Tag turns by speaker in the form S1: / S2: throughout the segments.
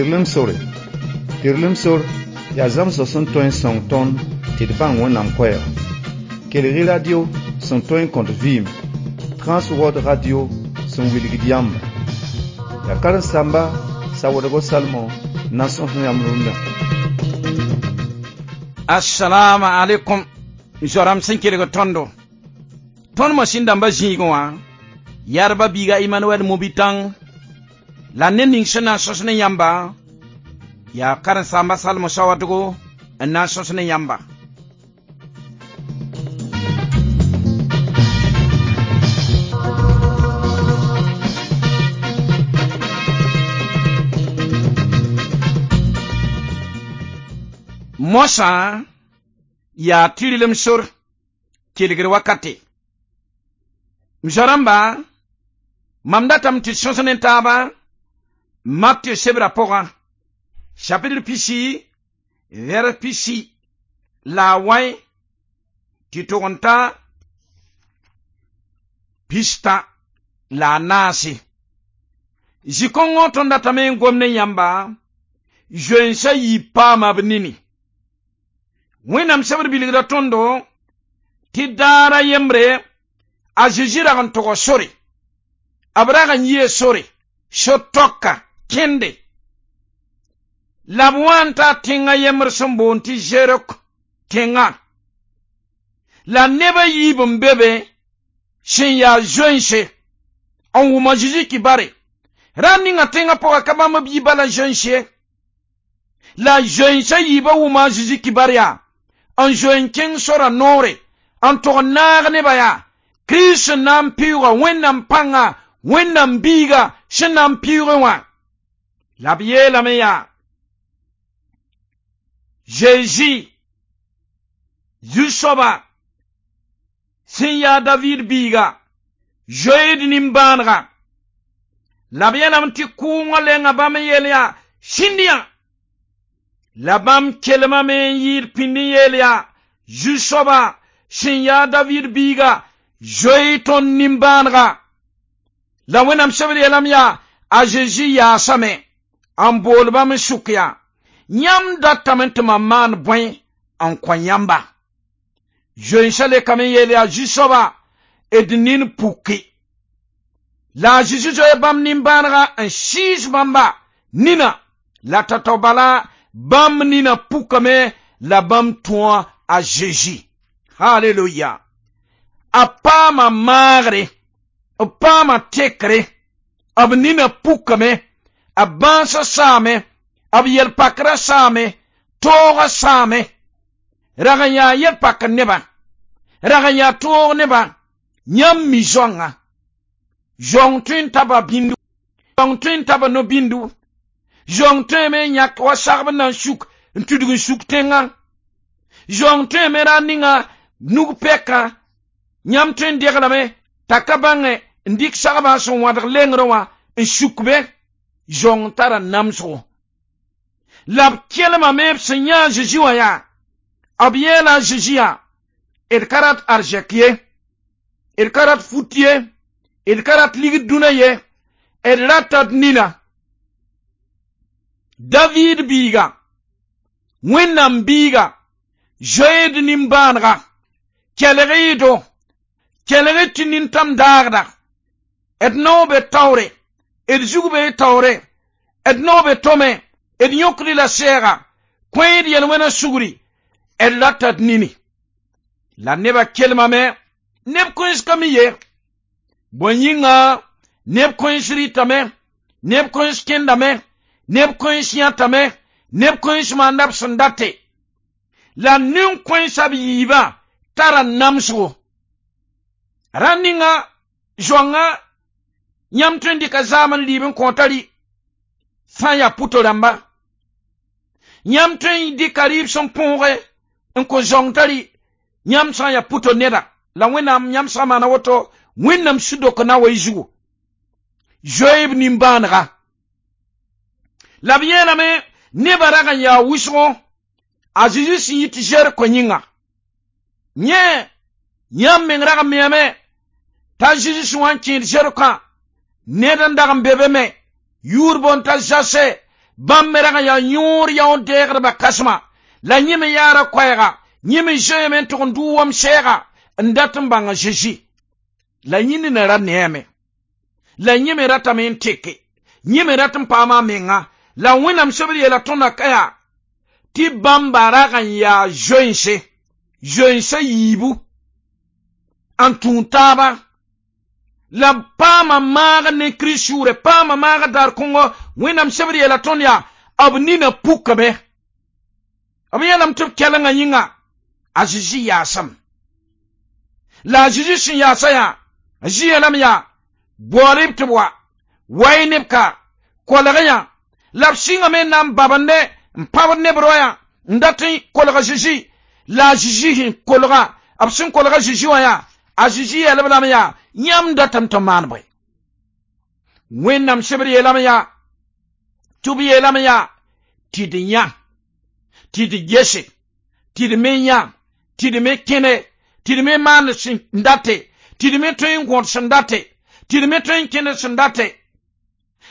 S1: Tɩrlem sore. Tɩrlem sor yaa zãmsg sẽn tõe n sõng tõnd tɩ d bãng Wẽnnaam koɛɛga. Kelg-y radio sẽn tõe n kõt vɩɩm, Transworld Radio sẽn wilgd yãmba. Yaa karen-saamba Sawoodgo Salmõ n na n sõs yãmb rũndã.
S2: Assalamu alaikum zoram sẽn kelg tõndo. Tõnd masĩn dãmba zĩigẽ wã yarba biiga Emmanuel Mobitãng la ned ning sẽn na n sõs ne yãmba yaa karen-saamba Salmo Sawadgo n na n sõs ne yãmba. Mosã yaa tɩrlem sor kelgr wakate. M zoa-rãmba, mam datame tɩ d sõs ne taaba Matɩ sebra pʋgã, chapitre pisi, vɛrs pisi la a wãe tɩ tʋg n ta pistã la a naase. Zĩ-kõngõ tõnd datame n gom ne yãmba zoeensã yiib paama b nini. Wẽnnaam sebr bilgda tõndo tɩ daara yembre a Zezi rag n tog sore. B rag n yɩɩ sore, so-tɔka, kẽnde. La b wa n ta tẽngã yembr sẽn boond tɩ Zeriko tẽngã. La neb a yiib n be be sẽn yaa zoense n wʋm a Zezi kibare. Rãmb ninga tẽngã pʋgã ka bãmb b yi bala zoens ye. La zoensã yiibã wʋma a Zezi kibar yaa n zoe n kẽng sora noore n tog n naag nebã yaa Kirist sẽn na n pɩʋʋga Wẽnnaam pãnga, Wẽnnaam biiga sẽn na n pɩʋʋgẽ wã. La b yeelame yaa Zezi, Zu-soaba sẽn yaa Daviid biiga, zoeed nimbãanega. La b yeelame tɩ kʋʋngã lenga bãmb n yeel yaa sĩnd yã. La bãmb kelmame n yɩɩd pĩnd n yeel yaa Zu-soaba sẽn yaa Daviid biiga, zoe tõnd nimbãanega. La Wẽnnaam sebr yeelame yaa a Zezi yaasame n bool bãmb n sʋk yaa yãmb datame tɩ mam maan bõe n kõ yãmba. Zoensã lekame n yeel yaa Zu-soaba d nin puki. La a Zezi zoe bãmb nimbãanega n sɩɩs bãmba nina la tao-tao bala bãmb nina pukame la bãmb tõa a Zezi. Haleluya. A paama maagre, b paama tekre, b nina pukame, b bãasã saame, b yel-pakrã saame, toogã saame. Rag n yaa yel-pakr nebã, rag n yaa toog nebã, yãmb mi zoangã. Zoang tõe n taba bĩndu, zoang tõe n taba no-bĩndu, zoang tõeme n yãk wa sagb n na n suk n tudg n suk tẽngã. Zoang tõeme ra ninga nug pɛkã, yãmb tõe n deglame t'a ka bãnge n dɩk sagbã sẽn wãdg lengrẽ wã n suk be. Zoang tara namsgo. La b kelmame b sẽn yã a Zezi wã yaa, b yeela a Zezi yaa, d ka rat arzɛk ye, d ka rat fut ye, d ka rat ligd dũnã ye, d rata d nina. Daviid biiga, Wẽnnaam biiga, zoeed nimbãanega, kelg-y-do, kelg-y tɩ nintãm daagda, d naoo be taoore, d zug be taoore, d naoo be tome, d yõkd la sɛɛga, kõ-y d yel-wẽna sugri, d rata d nini. La nebã kelmame, neb kõens ka mi ye. Bõe yĩnga neb kõens rɩtame, neb kõens kẽndame, neb kõens yãtame, neb kõens maanda b sẽn date. La nin-kõensã b yiibã tara namsgo. Rãnd ninga zoangã yãmb tõe n dɩka zaam n liib n kõota rɩ sã n yaa pʋto rãmba. Yãmb tõe n dɩka rɩɩb sẽn põoge n kõ zãong t'a rɩ yãmb sã n yaa pʋto neda. La Wẽnnaam yãmb sã n maana woto Wẽnnaam sũ-dok na wa y zugu. Zoe b nimbãanega. La b yeelame nebã rag n yaa wʋsgo a Zezi sẽn yit Zeriko yĩnga. Yẽ yãmb meng rag n meame t'a Zezi sẽn wa n kẽed Zerikã ned n dag n be be me yʋʋr boond t'a Zase Bãmb me rag n yaa yõor yaood-dɛɛgdbã kãsema la yẽ me yaara koɛɛga yẽ me zoeeme n tʋg n dʋʋ wam sɛɛga n dat n bãng a Zezi la yẽ nina ra neeme la yẽ me ratame n teke yẽ me rat n paama a menga la Wẽnnaam sebr yeela tõndã ka yaa tɩ bãmba rag n yaa zoense zoensã yiibu n tũu taaba la paama maag ne Kirist sʋʋre paama maag daar kõngo Wẽnnaam sebr yeela tõnd yaa b nina pukame b yeelame tɩ b kɛlengã yĩnga a Zezi yaasame la a Zezi sẽn yaasa yaa a Zezi yeelame yaa bool-b tɩ b wa wa-y neb ka kolg yã la b sɩngame n na n babende n pãbd neb royã n dat n kolg a Zezi la a Zezi sẽn kolga b sẽn kolg a Zezi wã yaa a Zezi yɛl-b lame yaa yãmb datame tɩ maan bõe Wẽnnaam sebr yeelame yaa tɩ b yeelame yaa tɩ d yã tɩ d gese tɩ d me yã tɩ d me kẽne tɩ d me maan sẽn date tɩ d me tõe n gõd sẽn date tɩ d me tõe n kẽnd sẽn date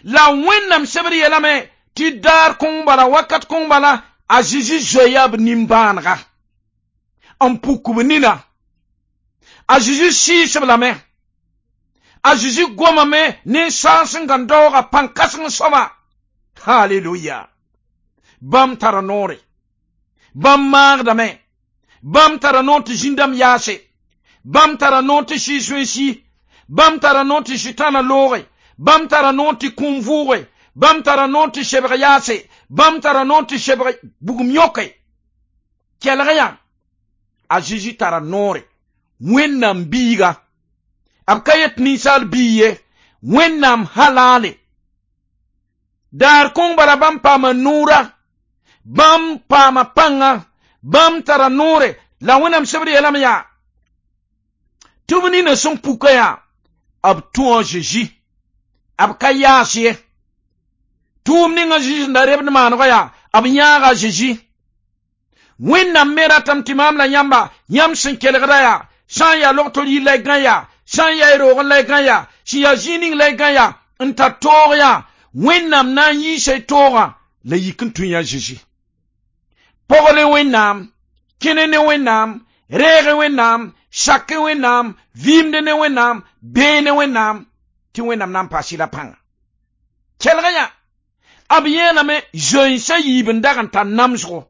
S2: la Wẽnnaam sebr yeelame tɩ daar kõng bala wakat kõng bala a Zezi zoeya b nimbãanega n puk b nina a Zezi sɩɩs-b lame a Zezi gomame ne saas n gãn daooga pãn-kãseng soaba haleluya bãmb tara noore bãmb maagdame bãmb tara noor tɩ zĩndãmb yaase bãmb tara noor tɩ sɩɩs wẽnsi bãmb tara noor tɩ sʋtãana looge bãmb tara noor tɩ kũum vʋʋge bãmb tara noor tɩ sebg yaase bãmb tara noor tɩ sebg bugum yõke kelg yã a Zezi tara noore Wẽnnaam biiga b ka yet ninsaal bii ye Wẽnnaam halaale daar kõng bala bãmb paama nuura bãmb paama pãnga bãmb tara noore la Wẽnnaam sebr yeelame yaa tɩ b nina sẽn puka yaa b tũ a Zezi b ka yaas ye tʋʋm ning a Zezi sẽn da rebd maanegã yaa b yãaga a Zezi Wẽnnaam me ratame tɩ maam la yãmba yãmb sẽn kelgda yaa sã n yaa log-tol yir la y gã yaa sã n yaa y roogẽ la y gã yaa sẽn yaa zĩig ning la y gã yaa n tar toog yaa Wẽnnaam na n yiisa y toogã la yik n tũ yã Zezi pɔgl Wẽnnaam kẽne ne Wẽnnaam reeg Wẽnnaam sak Wẽnnaam vɩɩmd ne Wẽnnaam bee ne Wẽnnaam tɩ Wẽnnaam na n paas la pãnga kelg yã b yeelame zoensã yiib n dag n tar namsgo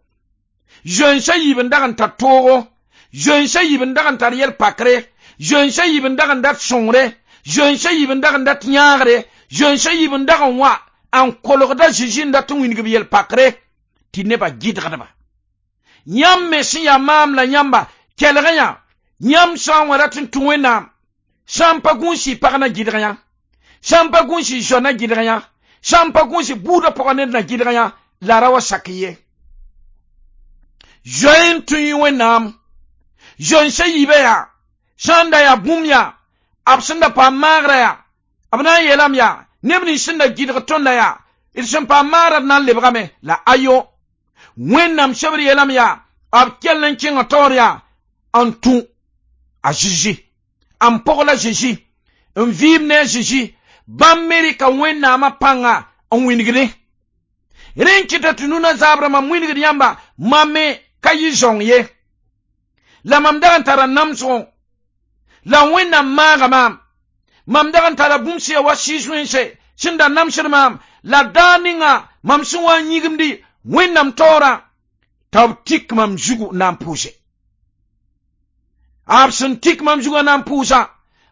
S2: zoensã yiib n dag n tar toogo zoensã yiib n dag n tar yɛl-pakre zoensã yiib n dag n dat sõngre zoensã yiib n dag n dat yãagre zoensã yiib n dag n wa n kolgda Zezi n dat n wĩng b yɛl-pakre tɩ nebã gɩdgdba yãmb me sẽn yaa maam la yãmba kelg yã yãmb sã n wa rat n tũ Wẽnnaam sã n pa gũus y pag na gɩdg yã sã n pa gũus y zoa na gɩdg yã sã n pa gũus y buudã pʋgã ned na gɩdg yã la ra wa sak ye zoe n tũ y Wẽnnaam zoensã yiibã yaa sã n da yaa bũmb yaa b sẽn da paam maagrã yaa b na n yeelame yaa neb nins sẽn da gɩdg tõndã yaa d sẽn paam maagrã d na n lebgame la ayo Wẽnnaam sebr yeelame yaa b kell n kẽnga taoor yaa n tũ a Zezi n pɔgl a Zezi n vɩɩm ne a Zezi bãmb me rɩka Wẽnnaamã pãnga n wĩnigde rẽ n kɩta tɩ nuna zaabrã mam wĩnigd yãmba mam me ka yɩ zãong ye la mam dag n tara namsgo la Wẽnnaam maaga maam mam dag n tara bũmb sẽn ya wa sɩɩs wẽnse sẽn da namsd maam la daar ninga mam sẽn wa n yĩgimdi Wẽnnaam taoorã t'a b tik mam zugu na n pʋʋse b sẽn tik mam zugã na n pʋʋsã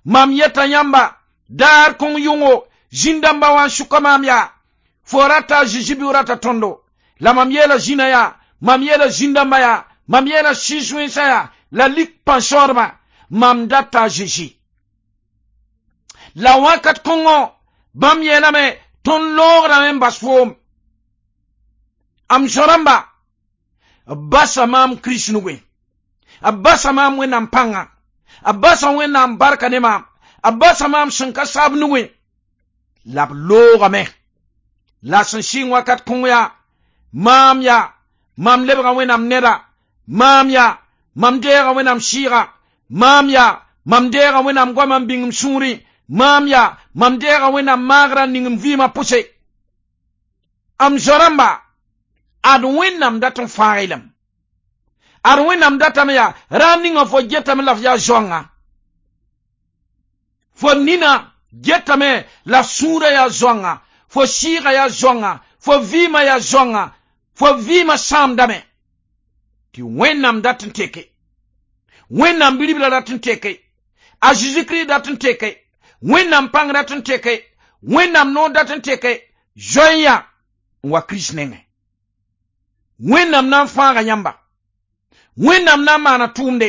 S2: mam yeta yãmba daar kõng yʋngo zĩn-dãmba wã n sʋka maam yaa fo rata a Zezi bɩ rata tõndo la mam yeela zĩnã yaa mam yeela zĩn-dãmba yaa mam yeela sɩɩs wẽnsã yaa la lik pãn-sãoodbã mam data a Zezi la wakat kõngo bãmb yeelame tõnd loograme n bas foom am zõ-rãmba b basa maam Kirist nugẽ b basa maam Wẽnnaam pãnga b basa Wẽnnaam barka ne maam b basa maam sẽn ka saab nugẽ la b loogame la sẽn sɩng wakat kõng yaa maam yaa mam lebga Wẽnnaam neda maam yaa mam deega Wẽnnaam sɩɩga maam yaa mam deega Wẽnnaam goamã n bĩng m sũurẽ maam yaa mam deega Wẽnnaam maagrã n ning m vɩɩmã pʋse Am zoa-rãmba ad Wẽnnaam dat n fãag-y lame. Ad Wẽnnaam datame yaa rãam ninga fo getame la f yaa zoanga. Fo nina getame la sũurã yaa zoanga, fo sɩɩgã yaa zoanga, fo vɩɩmã yaa zoanga, fo vɩɩmã sãamdame. Tɩ Wẽnnaam dat n teke. Wẽnnaam bi-ribla dat n teke. A Jésus-Christ dat n teke. Wẽnnaam pãng dat n teke. Wẽnnaam noor dat n teke. Zoe-yã n wa Kirist nengẽ. Wẽnnaam na n fãaga yãmba. Wẽnnaam na n maana tʋʋmde.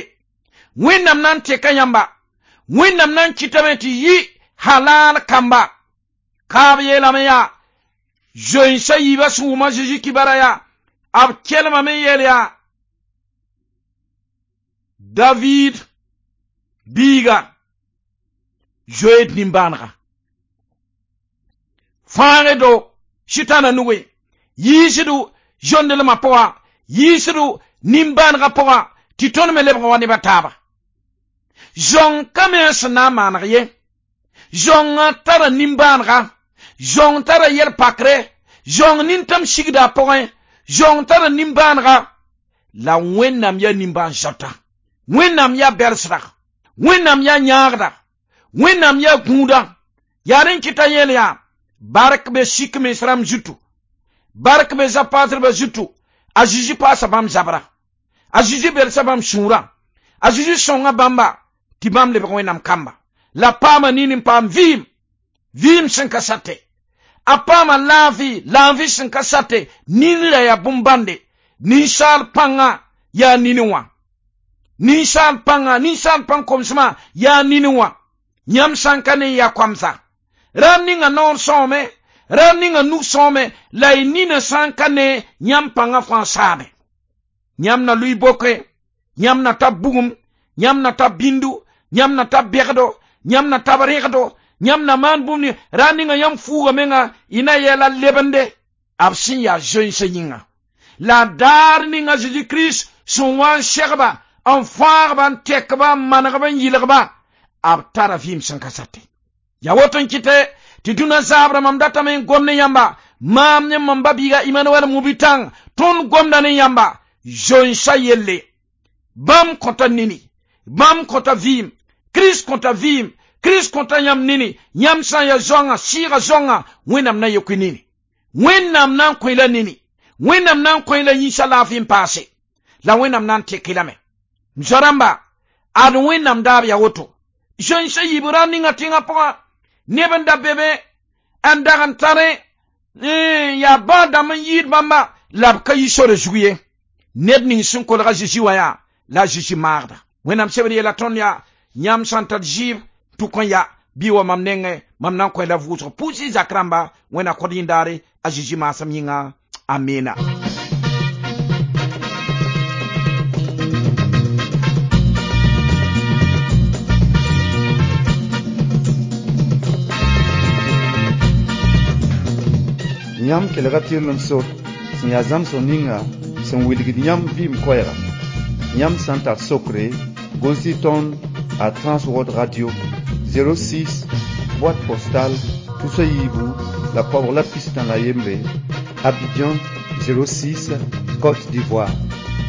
S2: Wẽnnaam na n teka yãmba. Wẽnnaam na n kɩtame tɩ yɩ halal kamba. Kaab yeelame yaa zoensã yiibã sẽn wʋm a Zeezi kibara yaa b kelmame n yeel yaa David biiga zoeed nimbãanega. Fãagdo Sʋtãana nugẽ, yiisdo zõndelmã pʋga, yiisdo nimbãanegã pʋga, tɩ tõnd me lebg wa neb a taaba. Zõng ka me sẽn na n maaneg ye. Zõngã tara nimbãanega, zõng tara yɛl-pakre, zõng nintãm sigda a pʋgẽ, zõng tara nimbãanega, la Wẽnnaam yaa nimbãan-zoata. Wẽnnaam yaa bɛlsda, Wẽnnaam yaa yãagda, Wẽnnaam yaa gũuda. Yaa rẽ kɩta yeel yaa bark be sik mens rãmb zutu, bark be zapatrbã zutu, a Zeezi paasa bãmb zabra, a Zeezi belsa bãmb sũurã, a Zeezi sõnga bãmba tɩ bãmb lebg Wẽnnaam kamba. La paama nin n paam vɩɩm, vɩɩm sẽn ka sate. A paama laafɩ, laafɩ sẽn ka sate. Nin ra yaa bõn-bãnde. Ninsaal pãngã yaa nini wã. Ninsaal pãngã, ninsaal pãng komsmã yaa nini wã. Yãmb sã n ka ne n yaa koamsa. Rãmb ninga noor sõome, rãmb ninga nug sõome, la y nina sã n ka ne yãmb pãngã fãa saame. Yãmb na lʋɩ boke, yãmb na tab bugum, yãmb na tab bĩndu, yãmb na tab bɛgdo, yãmb na tab rẽgdo, yãmb na maan bũmb ning rãnd ninga yãmb fuuga menga y na yɛla lebende b sẽn yaa zoensã yĩnga. La daar ninga Jésus Kirist sẽn wa n segba, n fãagba, n tekba, n manegba, n yɩlgba, b tara vɩɩm sẽn ka sate. Yaa woto n kɩtɛ tɩ dũnã zaabra mam datame n gom ne yãmba, maam ne mam ba-biiga Emmanuel Mubitãng, tõnd gomda ne yãmba zoensã yelle. Bãmb kõta nini, bãmb kõta vɩɩm, Kirist kõta vɩɩm, Kirist kõta yãmb nini, yãmb sã n yaa zoanga, sɩɩga zoanga, Wẽnnaam na yek nini. Wẽnnaam na n kõ la nini. Wẽnnaam na n kõ la yĩnsa laafɩ n paase. La Wẽnnaam na n tek lame. M zoa-rãmba, ad Wẽnnaam daab yaa woto. Zoensã yiib rãnd ninga tẽngã pʋgã, neb n da be be n dag n tare yaa bãa dãmb n yɩɩd bãmba, la b ka yi sore zug ye. Ned ning sẽn kolg a Zeezi wã yaa la a Zeezi maagda. Wẽnnaam sebd yeela tõnd yaa yãmb sã n tar zɩɩb tʋk n ya bɩ wa mam nengẽ, mam na n kõ la vʋʋsg pʋʋs zak rãmba Wẽnna kõd yĩndaare a Zeezi maasem yĩnga. Amina.
S1: Yãmb kelga tɩrlem sor sẽn yaa zãmsg ninga sẽn wilgd yãmb vɩɩm koɛɛga. Yãmb sã n tar sokre, gʋls-y tõnd a Transworld Radio 06, boîte postale 3 la 3 la 1, Abidjan 06, Côte d'Ivoire.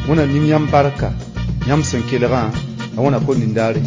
S1: Wẽnna ning yãmb barka, yãmb sẽn kelgã, la wẽnna kõt nindaare.